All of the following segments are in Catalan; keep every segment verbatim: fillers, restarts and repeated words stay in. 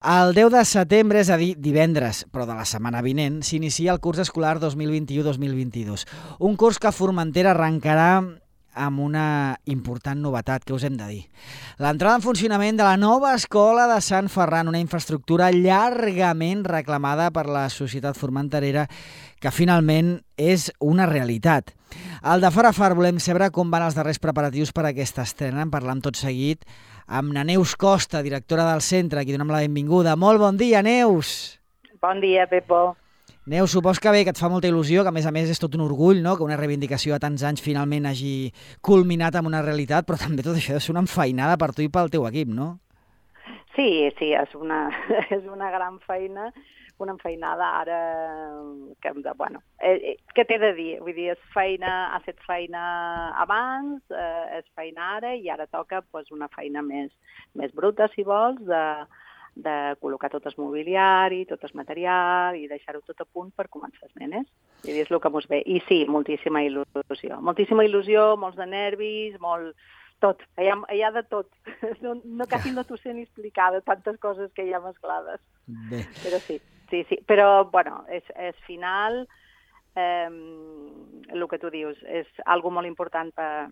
El deu de setembre, és a dir, divendres, però de la setmana vinent, s'inicia el curs escolar dos mil vint-i-u dos mil vint-i-dos. Un curs que Formentera arrencarà amb una important novetat, que us hem de dir. L'entrada en funcionament de la nova escola de Sant Ferran, una infraestructura llargament reclamada per la societat formenterera, que finalment és una realitat. Al de fora a far volem saber com van els darrers preparatius per a aquesta estrena. En parlam tot seguit amb na Neus Costa, directora del centre, a qui donem la benvinguda. Molt bon dia, Neus! Bon dia, Pepo. Neus, supos que bé, que et fa molta il·lusió, que a més a més és tot un orgull, no?, que una reivindicació a tants anys finalment hagi culminat amb una realitat, però també tot això ha de ser una enfeinada per tu i pel teu equip, no? Sí, sí, és una, és una gran feina, una enfeinada ara que, de, bueno, eh, què t'he de dir? Vull dir, és feina, ha fet feina abans, eh, és feina ara i ara toca pues, una feina més, més bruta, si vols, de, de col·locar tot el mobiliari, tot el material i deixar-ho tot a punt per començar els nenes. I és el que mos ve. I sí, moltíssima il·lusió. Moltíssima il·lusió, molts de nervis, molt... Tot, hi ha, hi ha de tot. No, no, quasi no t'ho sé ni explicar de tantes coses que hi ha mesclades. Bé. Però sí, sí, sí. Però, bueno, és, és final, eh, el que tu dius, és algo molt important per,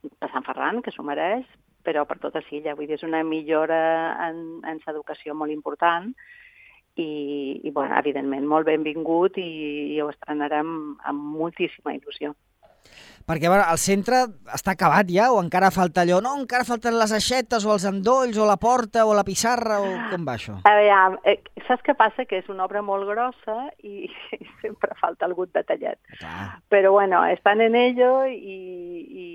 per Sant Ferran, que s'ho mereix, però per tota Silla. Vull dir, és una millora en, en l'educació molt important i, i bueno, evidentment, molt benvingut i, i ho estrenarem amb moltíssima il·lusió. Perquè, a veure, el centre està acabat ja o encara falta allò? No, encara falten les aixetes o els endolls o la porta o la pissarra o com va això? A veure, eh, saps què passa? Que és una obra molt grossa i, i sempre falta algun detallet. Clar. Però bueno, estan en ello i, i,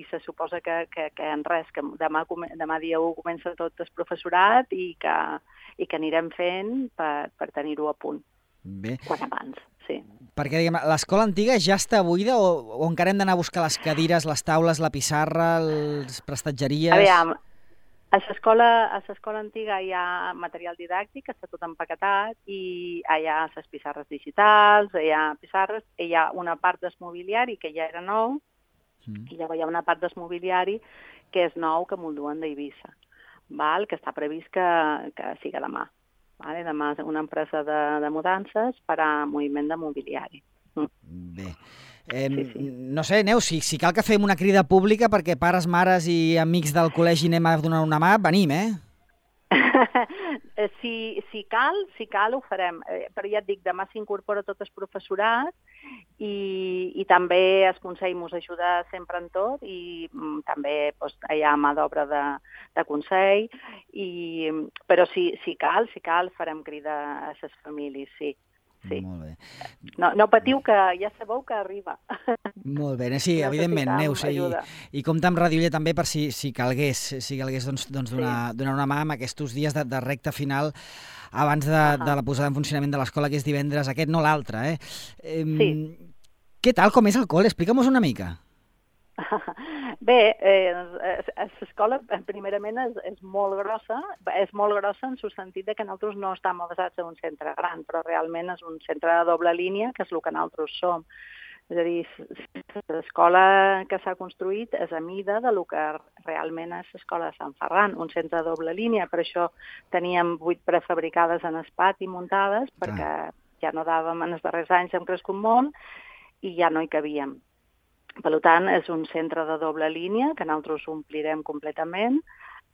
i se suposa que, que, que en res, que demà, demà dia u comença tot el professorat i que, i que anirem fent per, per tenir-ho a punt. Bé. Quan abans, sí. Perquè, diguem, l'escola antiga ja està buida o, o encara hem d'anar a buscar les cadires, les taules, la pissarra, les prestatgeries? A veure, a l'escola a l'escola antiga hi ha material didàctic, està tot empaquetat, i hi ha les pissarres digitals, hi ha pissarres, hi ha una part del mobiliari que ja era nou, mm. i llavors hi ha una part del mobiliari que és nou, que me'l duen d'Eivissa, val? Que està previst que, que sigui demà. Vale? Demà és una empresa de, de mudances per a moviment de mobiliari. Mm. Bé. Eh, sí, sí. No sé, Neus, si, si cal que fem una crida pública perquè pares, mares i amics del col·legi anem a donar una mà, venim, eh? si, si cal, si cal ho farem. Eh, però ja et dic, demà s'incorpora tot el professorat i, i també el Consell ens ajuda sempre en tot i mm, també doncs, hi ha mà d'obra de, de Consell, i, però si, si cal, si cal, farem crida a les famílies, sí. Sí. Molt bé. No, no patiu, que ja sabeu que arriba. Molt bé, sí, evidentment, Neus, i, i compta amb Ràdio Illa també per si, si calgués, si calgués doncs, doncs donar, sí. donar una mà amb aquests dies de, de recta final abans de, uh -huh. de la posada en funcionament de l'escola, que és divendres aquest, no l'altre, eh? eh sí. Què tal, com és el col·le? Explica'm-nos una mica. Bé, eh, l'escola primerament és, és molt grossa, és molt grossa en el sentit que nosaltres no estem basats en un centre gran, però realment és un centre de doble línia, que és el que nosaltres som. És a dir, l'escola que s'ha construït és a mida de lo que realment és l'escola de Sant Ferran, un centre de doble línia, per això teníem vuit prefabricades en el pati muntades, perquè ah. ja no dàvem, en els darrers anys hem crescut molt i ja no hi cabíem. Per tant, és un centre de doble línia que nosaltres omplirem completament.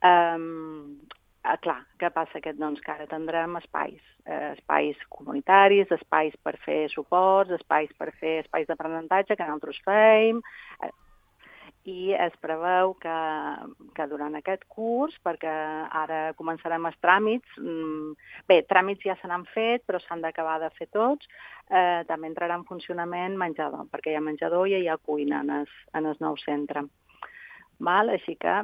Um, eh, clar, què passa? Que, doncs, que ara tindrem espais, eh, espais comunitaris, espais per fer suports, espais per fer espais d'aprenentatge que nosaltres fem, eh, i es preveu que, que durant aquest curs, perquè ara començarem els tràmits, bé, tràmits ja se n'han fet, però s'han d'acabar de fer tots, eh, també entrarà en funcionament menjador, perquè hi ha menjador i hi ha cuina en el, en el nou centre. Val? Així que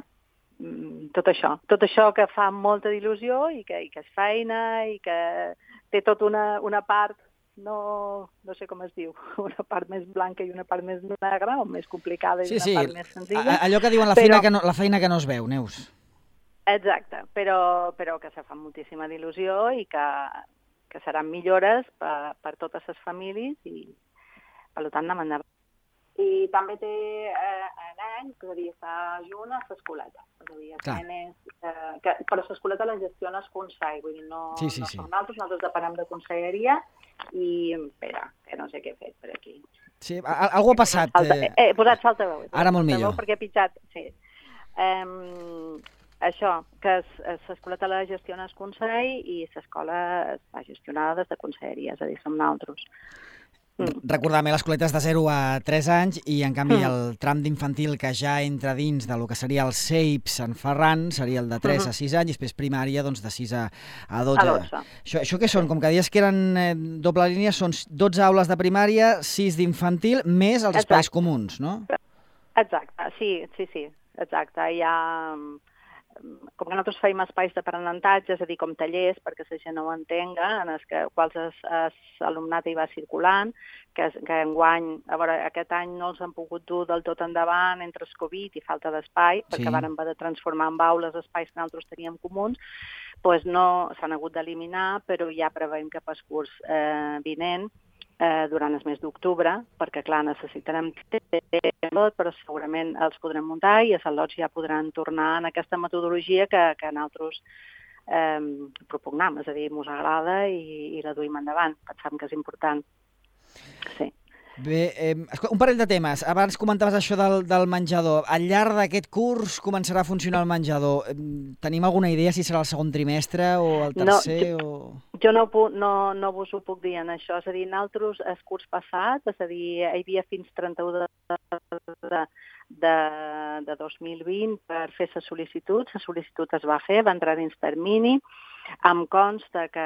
tot això, tot això que fa molta il·lusió i que, i que és feina i que té tota una, una part, no, no sé com es diu, una part més blanca i una part més negra, o més complicada i sí, una sí. part més senzilla. Allò que diuen la, feina però... que no, la feina que no es veu, Neus. Exacte, però, però que se fa moltíssima d'il·lusió i que, que seran millores per, per totes les famílies i, per tant, anem endavant. I també té eh, nen, que és a dir, està junt a l'escoleta. És a dir, els nenes, eh, que, però l'escoleta la gestiona el Consell, vull dir, no, sí, sí, no sí. som nosaltres, nosaltres depenem de conselleria i, espera, que no sé què he fet per aquí. Sí, algú ha passat. Salta, eh, he posat saltaveu. Ara molt millor. Perquè he pitjat, sí. Um, això, que l'escoleta la gestiona el Consell i l'escola està gestionada des de conselleria, és a dir, som nosaltres. Mm. Recordar-me les escoletes de zero a tres anys i, en canvi, mm. el tram d'infantil que ja entra dins del que seria el C E I P Sant Ferran seria el de tres mm-hmm. a sis anys i després primària doncs, de sis a dotze. A dotze. Això, això què són? Com que deies que eren eh, doble línia, són dotze aules de primària, sis d'infantil, més els Exacte. Espais comuns, no? Exacte, sí, sí, sí, exacte. Hi ha... Com que nosaltres feim espais d'aprenentatge, és a dir, com tallers, perquè la gent no ho entenga, en els que, quals l'alumnat hi va circulant, que, que enguany, a veure, aquest any no els han pogut dur del tot endavant entre el Covid i falta d'espai, sí. perquè varen haver de transformar en aules espais que nosaltres teníem comuns, doncs no s'han hagut d'eliminar, però ja preveiem que pel curs eh, vinent, Eh, durant el mes d'octubre, perquè, clar, necessitarem tot, però segurament els podrem muntar i els al·lots ja podran tornar en aquesta metodologia que, que nosaltres eh, propugnam, és a dir, ens agrada i, i la duim endavant. Pensem que és important. Sí. Bé, eh, un parell de temes. Abans comentaves això del, del menjador. Al llarg d'aquest curs començarà a funcionar el menjador. Tenim alguna idea si serà el segon trimestre o el tercer? No, jo, o... jo no, no, no vos ho puc dir en això. És a dir, nosaltres el curs passat, és a dir, hi havia fins trenta-u de, de, de, de dos mil vint per fer la sol·licitud. La sol·licitud es va fer, va entrar dins termini. Em consta que,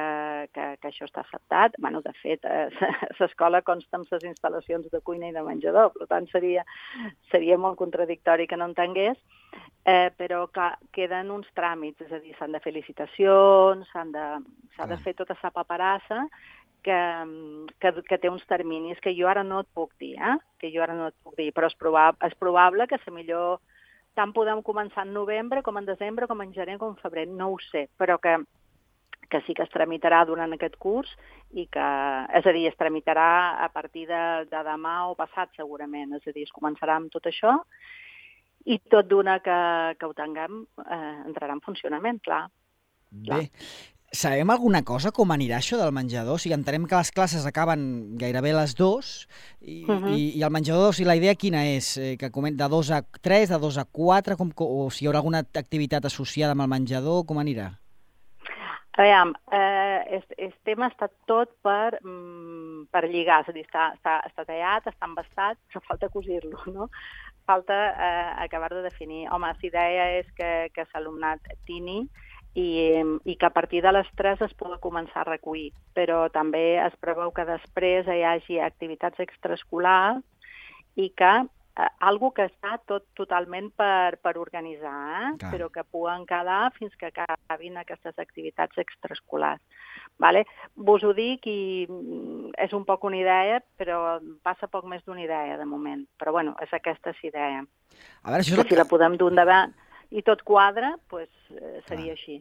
que, que això està acceptat. Bueno, de fet, l'escola consta amb les instal·lacions de cuina i de menjador, per tant seria, seria molt contradictori que no entengués, eh, però que queden uns tràmits, és a dir, s'han de fer licitacions, s'ha de, de fer tota la paperassa que, que, que té uns terminis que jo ara no et puc dir, eh? que jo ara no et puc dir, però és probable, és probable que la millor tant podem començar en novembre com en desembre, com en gener, com en febrer, no ho sé, però que que sí que es tramitarà durant aquest curs i que, és a dir, es tramitarà a partir de, de demà o passat segurament, és a dir, es començarà amb tot això i tot d'una que, que ho tinguem eh, entrarà en funcionament, clar. Bé, sabem alguna cosa com anirà això del menjador? O sigui, entenem que les classes acaben gairebé les dues i, uh-huh. i, i el menjador, o sigui, la idea quina és? Eh, que comenta de dos a tres, de dos a quatre, com, o si hi haurà alguna activitat associada amb el menjador, com anirà? A veure, eh, el, el tema està tot per, mm, per lligar, és a dir, està, està, està tallat, està embastat, però falta cosir-lo, no? Falta eh, acabar de definir. Home, la idea és que, que l'alumnat tini i, i que a partir de les tres es pugui començar a recollir, però també es preveu que després hi hagi activitats extraescolars i que eh, algo que està tot totalment per, per organitzar, eh? però que puguen quedar fins que acabin aquestes activitats extraescolars. Vale? Vos ho dic i és un poc una idea, però passa poc més d'una idea de moment. Però bueno, és aquesta la idea. A veure, això és el si que... la podem dur endavant i tot quadra, pues, eh, seria Clar. així.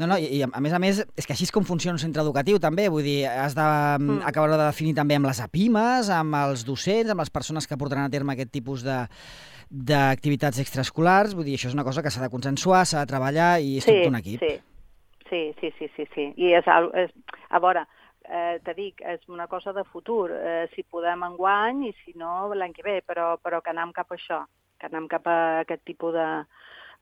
No, no, i, i a més a més, és que així és com funciona un centre educatiu també, vull dir, has d'acabar mm. de definir també amb les apimes, amb els docents, amb les persones que portaran a terme aquest tipus de d'activitats extraescolars, vull dir, això és una cosa que s'ha de consensuar, s'ha de treballar i és sí, tot un equip. Sí, sí, sí, sí, sí, sí. I és, és a veure, eh, te dic, és una cosa de futur, eh, si podem enguany i si no l'any que ve, però, però que anem cap a això, que anem cap a aquest tipus de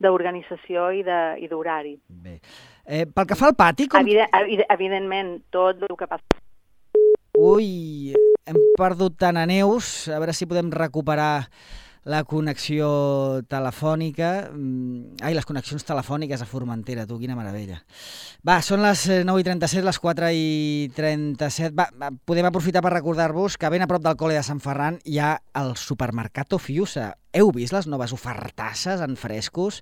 d'organització i d'horari. Bé. Eh, pel que fa al pati... Com... Evident, evidentment, tot el que passa... Ui, hem perdut tant a Neus, a veure si podem recuperar la connexió telefònica. Ai, les connexions telefòniques a Formentera, tu, quina meravella. Va, són les nou i trenta-set, les quatre i trenta-set. Va, podem aprofitar per recordar-vos que ben a prop del col·le de Sant Ferran hi ha el Supermercato Fiusa. Heu vist les noves ofertasses en frescos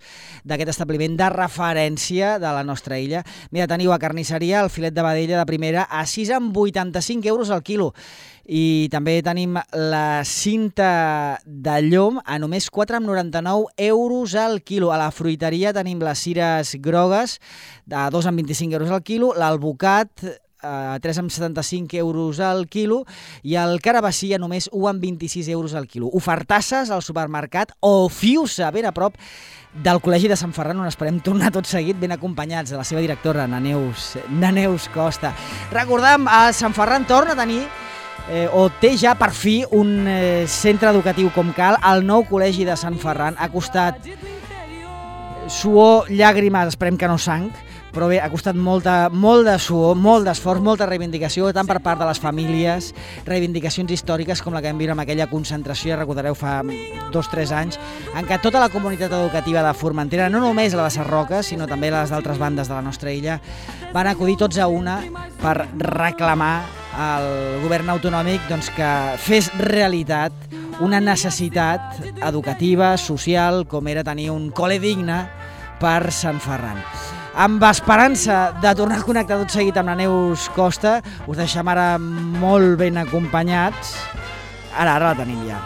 d'aquest establiment de referència de la nostra illa? Mira, teniu a carnisseria el filet de vedella de primera a sis coma vuitanta-cinc euros al quilo. I també tenim la cinta de llom a només quatre coma noranta-nou euros al quilo. A la fruiteria tenim les cires grogues de dos coma vint-i-cinc euros al quilo, l'alvocat a tres coma setanta-cinc euros al quilo, i el carabassí a només un coma vint-i-sis euros al quilo. Ofertasses al supermercat o Fiusa, ben a prop del Col·legi de Sant Ferran, on esperem tornar tot seguit, ben acompanyats de la seva directora, na Neus, na Neus Costa. Recordem, a Sant Ferran torna a tenir Eh, o té ja per fi un eh, centre educatiu com cal. El nou Col·legi de Sant Ferran ha costat suor, llàgrimes, esperem que no sang, però bé, ha costat molta, molt de suor, molt d'esforç, molta reivindicació, tant per part de les famílies, reivindicacions històriques com la que vam viure amb aquella concentració, recordareu, fa dos o tres anys, en què tota la comunitat educativa de Formentera, no només la de Sarroca, sinó també les d'altres bandes de la nostra illa, van acudir tots a una per reclamar al govern autonòmic doncs, que fes realitat una necessitat educativa, social, com era tenir un col·le digne per Sant Ferran. Amb esperança de tornar a connectar tot seguit amb la Neus Costa, us deixem ara molt ben acompanyats. Ara, ara la tenim ja.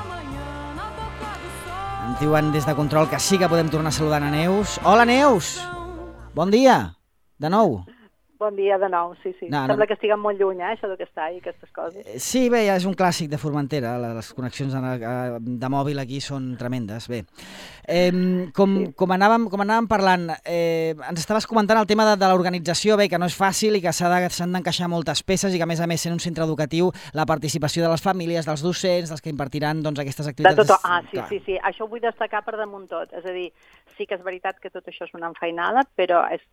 Ens diuen des de control que sí que podem tornar a saludar a Neus. Hola, Neus! Bon dia, de nou. Bon dia de nou, sí, sí. No, Sembla no. que estiguem molt lluny, eh, això de que està i aquestes coses. Sí, bé, ja és un clàssic de Formentera, les connexions de, de mòbil aquí són tremendes. Bé, eh, com, sí. com, anàvem, com anàvem parlant, eh, ens estaves comentant el tema de, de l'organització, bé, que no és fàcil i que s'han d'encaixar moltes peces i que, a més a més, sent un centre educatiu, la participació de les famílies, dels docents, dels que impartiran doncs, aquestes activitats... De tot, ah, sí, clar. sí, sí, això ho vull destacar per damunt tot. És a dir, sí que és veritat que tot això és una enfeinada, però és,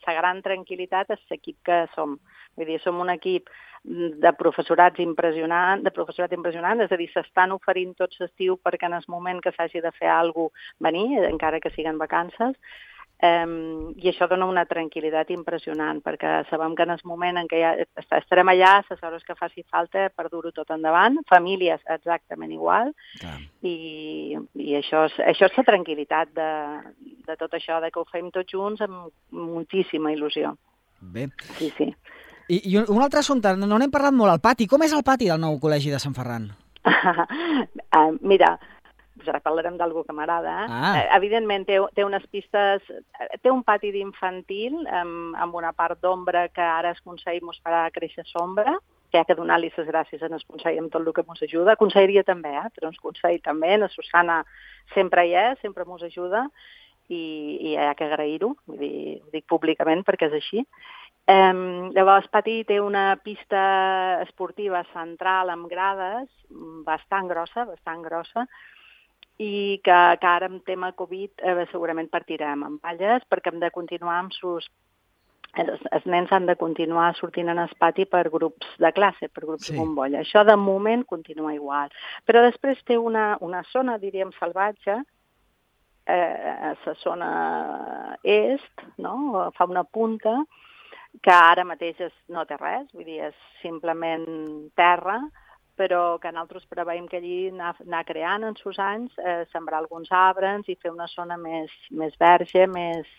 la gran tranquil·litat és l'equip que som. Vull dir, som un equip de professorats impressionant, de professorat impressionant, és a dir, s'estan oferint tot l'estiu perquè en el moment que s'hagi de fer alguna cosa venir, encara que siguin vacances, um, i això dona una tranquil·litat impressionant, perquè sabem que en el moment en què ja estarem allà, les hores que faci falta per dur-ho tot endavant, famílies exactament igual, Clar. i, i això, és, això és la tranquil·litat de, de tot això, de que ho fem tots junts amb moltíssima il·lusió. Bé. Sí, sí. I, I un altre assumpte, no n'hem parlat molt, el pati. Com és el pati del nou Col·legi de Sant Ferran? uh, mira, ara parlarem d'algú que m'agrada. Eh? Ah. Uh, evidentment, té, té unes pistes... Té un pati d'infantil amb, amb una part d'ombra que ara el Consell mos farà créixer sombra, que hi ha que donar-li les gràcies en el Consell amb tot el que mos ajuda. Conselleria també, eh? però el Consell també. La Susana sempre hi és, sempre mos ajuda. I, i hi ha que agrair-ho, vull dir, ho dic públicament perquè és així. Um, llavors, Pati té una pista esportiva central amb grades bastant grossa, bastant grossa, i que, que ara amb tema Covid eh, segurament partirem amb palles perquè hem de continuar amb sus... Els, els nens han de continuar sortint en el pati per grups de classe, per grups sí. de bombolla. Això de moment continua igual. Però després té una, una zona, diríem, salvatge, Eh, a la zona est, no? Fa una punta que ara mateix és, no té res, vull dir, és simplement terra, però que nosaltres preveiem que allí anar, anar creant en sus anys, eh, sembrar alguns arbres i fer una zona més, més verge, més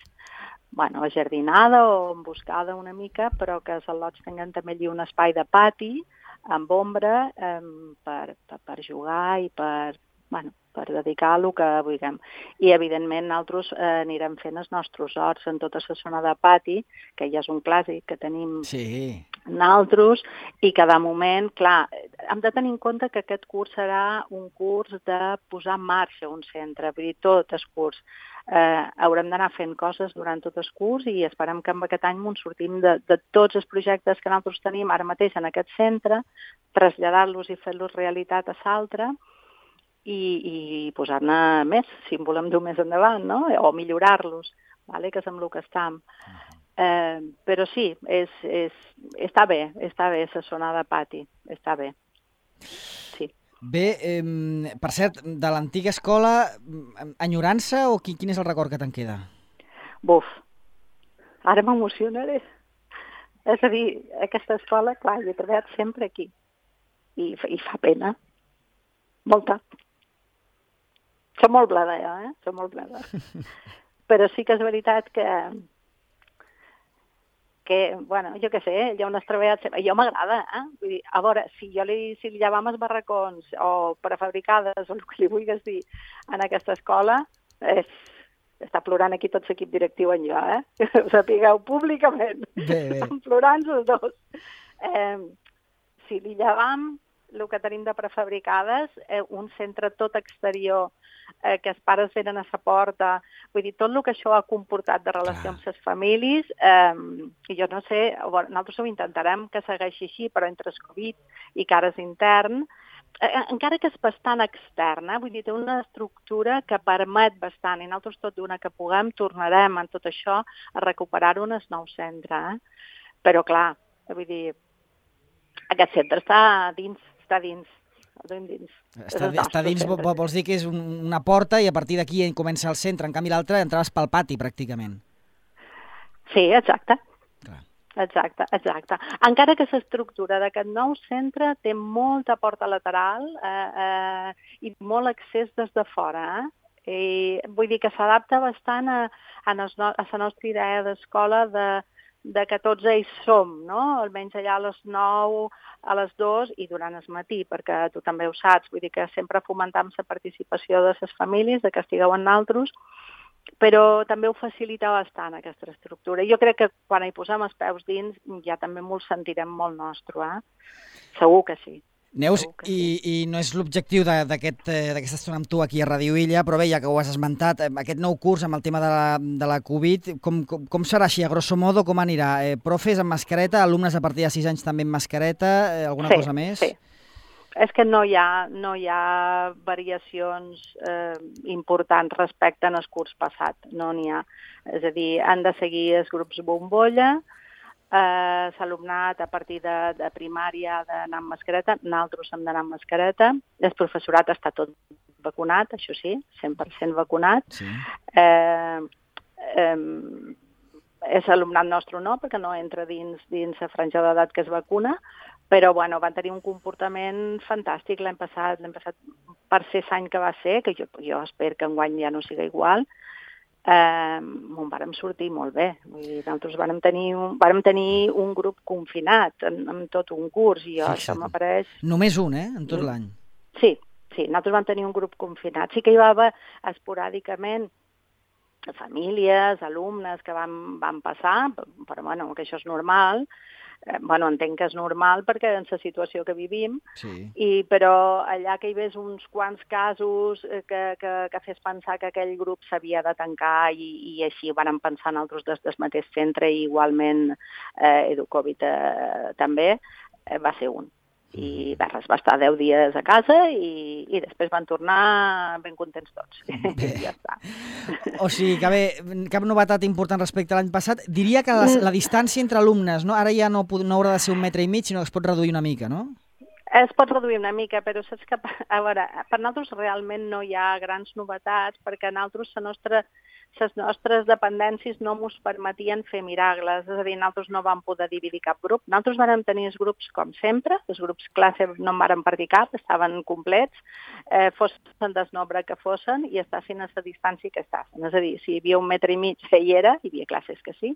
bueno, ajardinada o emboscada una mica, però que els al·lots tinguin també allí un espai de pati amb ombra eh, per, per, per jugar i per... Bueno, per dedicar a el que vulguem. I, evidentment, nosaltres eh, anirem fent els nostres horts en tota la zona de pati, que ja és un clàssic que tenim sí. nosaltres, i que, de moment, clar, hem de tenir en compte que aquest curs serà un curs de posar en marxa un centre, vull dir, tot el curs. Eh, haurem d'anar fent coses durant tot el curs i esperem que amb aquest any ens sortim de, de tots els projectes que nosaltres tenim ara mateix en aquest centre, traslladar-los i fer-los realitat a l'altre, i, i posar-ne més, si en volem dur més endavant, no? O millorar-los, vale? Que és amb el que estem. Eh, però sí, és, és, està bé, està bé la zona de pati, està bé. Sí. Bé, eh, per cert, de l'antiga escola, enyorança o quin, quin és el record que te'n queda? Buf, ara m'emocionaré. És a dir, aquesta escola, clar, jo he treballat sempre aquí i, i fa pena, molta. Som molt blada, ja, eh? Som molt blada. Però sí que és veritat que, que bueno, jo què sé, ja on has treballat... Jo m'agrada, eh? Vull dir, a veure, si jo li, si li llevam els barracons o prefabricades o el que li vulguis dir en aquesta escola, és, està plorant aquí tot l'equip directiu en jo, eh? Ho sapigueu públicament. Bé, bé. Estan plorant els dos. Eh, sí, l'Illa Vam, el que tenim de prefabricades, eh, un centre tot exterior, eh, que els pares venen a sa porta, vull dir, tot el que això ha comportat de relació amb les famílies, eh, jo no sé, bueno, nosaltres ho intentarem que segueixi així, però entre el Covid i que ara és intern, eh, encara que és bastant extern, eh, vull dir, té una estructura que permet bastant, i nosaltres tot d'una que puguem tornarem en tot això a recuperar-ho en el nou centre, eh? Però clar, vull dir, aquest centre està dins, està dins, dins. Està, està dins, vols dir que és un, una porta i a partir d'aquí comença el centre, en canvi l'altre entraves pel pati, pràcticament. Sí, exacte. Clar. Exacte, exacte. Encara que l'estructura d'aquest nou centre té molta porta lateral eh, eh, i molt accés des de fora, eh? I vull dir que s'adapta bastant a, a, nos, a la nostra idea d'escola de de que tots ells som, no? Almenys allà a les nou, a les dues i durant el matí, perquè tu també ho saps, vull dir que sempre fomentam la participació de les famílies, de que estigueu en naltros, però també ho facilita bastant aquesta estructura. Jo crec que quan hi posem els peus dins ja també m'ho sentirem molt nostre, eh? Segur que sí. Neus, i, i no és l'objectiu d'aquesta aquest, estona amb tu aquí a Ràdio Illa, però bé, ja que ho has esmentat, aquest nou curs amb el tema de la, de la Covid, com, com, com serà així, a grosso modo, com anirà? Eh, profes amb mascareta, alumnes a partir de sis anys també amb mascareta, eh, alguna sí, cosa més? Sí, és que no hi ha, no hi ha variacions eh, importants respecte al curs passat, no n'hi ha. És a dir, han de seguir els grups bombolla, Eh, l'alumnat a partir de, de primària ha d'anar amb mascareta, nosaltres hem d'anar amb mascareta, el professorat està tot vacunat, això sí, cent per cent vacunat. Sí. Eh, eh, és alumnat nostre no, perquè no entra dins, dins la franja d'edat que es vacuna, però bueno, van tenir un comportament fantàstic l'any passat, l'any passat per ser l'any que va ser, que jo, jo espero que enguany ja no siga igual, Eh, on vàrem sortir molt bé. Vull dir, nosaltres vàrem tenir un, vàrem tenir un grup confinat en, en tot un curs i jo, això m'apareix... Només un, eh?, en tot l'any. Sí, sí, nosaltres vam tenir un grup confinat. Sí que hi va haver esporàdicament famílies, alumnes que van, van passar, però bueno, que això és normal. Eh, bueno, entenc que és normal perquè en la situació que vivim, sí. I, però allà que hi hagués uns quants casos que, que, que fes pensar que aquell grup s'havia de tancar i, i així van pensar en altres des del mateix centre i igualment eh, EduCovid eh, també, eh, va ser un. I res, va estar deu dies a casa i, i després van tornar ben contents tots. Bé. I ja està. O sigui, que bé, cap novetat important respecte a l'any passat. Diria que la, la distància entre alumnes, no? Ara ja no, no haurà de ser un metre i mig, sinó que es pot reduir una mica, no? Es pot reduir una mica, però saps que, a veure, per nosaltres realment no hi ha grans novetats, perquè nosaltres la nostra les nostres dependències no ens permetien fer miracles, és a dir, nosaltres no vam poder dividir cap grup. Nosaltres vam tenir els grups com sempre, els grups classe no en vàrem partir cap, estaven complets, eh, fossin del nombre que fossin i estessin a la distància que estessin. És a dir, si hi havia un metre i mig hi era, hi havia classes que sí,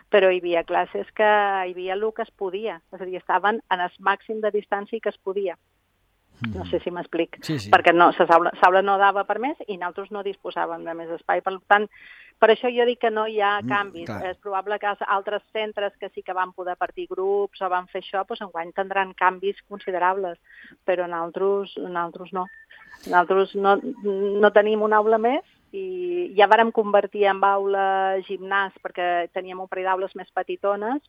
però hi havia classes que hi havia el que es podia, és a dir, estaven en el màxim de distància que es podia. No sé si m'explic, sí, sí. Perquè no, la saula, saula no dava per més i nosaltres no disposàvem de més espai. Per tant, per això jo dic que no hi ha canvis. Mm, és probable que altres centres que sí que van poder partir grups o van fer això, doncs enguany tindran canvis considerables, però nosaltres, nosaltres no. Nosaltres no, no tenim una aula més i ja vàrem convertir en aula gimnàs perquè teníem un parell d'aules més petitones,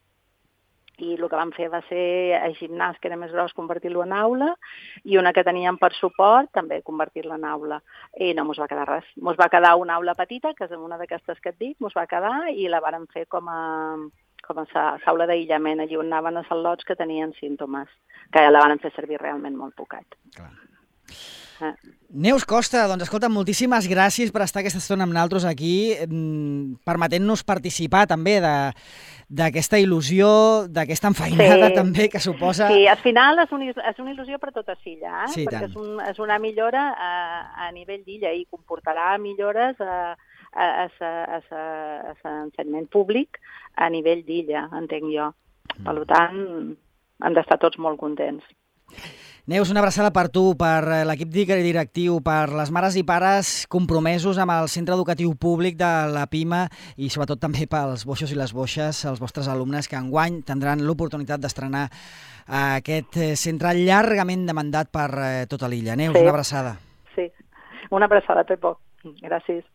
i el que vam fer va ser a gimnàs, que era més gros, convertir-lo en aula, i una que teníem per suport, també convertir-la en aula. I no mos va quedar res. Mos va quedar una aula petita, que és una d'aquestes que et dic, mos va quedar, i la vàrem fer com a, com a saula d'aïllament, allí on anaven els al·lots que tenien símptomes, que la vàrem fer servir realment molt poquet. Clar. Eh. Neus Costa, doncs escolta, moltíssimes gràcies per estar aquesta estona amb nosaltres aquí, permetent-nos participar també d'aquesta il·lusió, d'aquesta enfeinada sí. també que suposa... Sí, al final és, un, és una il·lusió per tota l'illa, eh? Sí, perquè tant. és, un, és una millora a, a nivell d'illa i comportarà millores a, a, a, a, a l'ensenyament públic a nivell d'illa, entenc jo. Per tant, hem d'estar tots molt contents. Neus, una abraçada per tu, per l'equip directiu, per les mares i pares compromesos amb el centre educatiu públic de la Pima i sobretot també pels boixos i les boixes, els vostres alumnes que enguany tindran l'oportunitat d'estrenar aquest centre llargament demandat per tota l'illa. Neus, sí. Una abraçada. Sí, una abraçada, Pepo. Gràcies.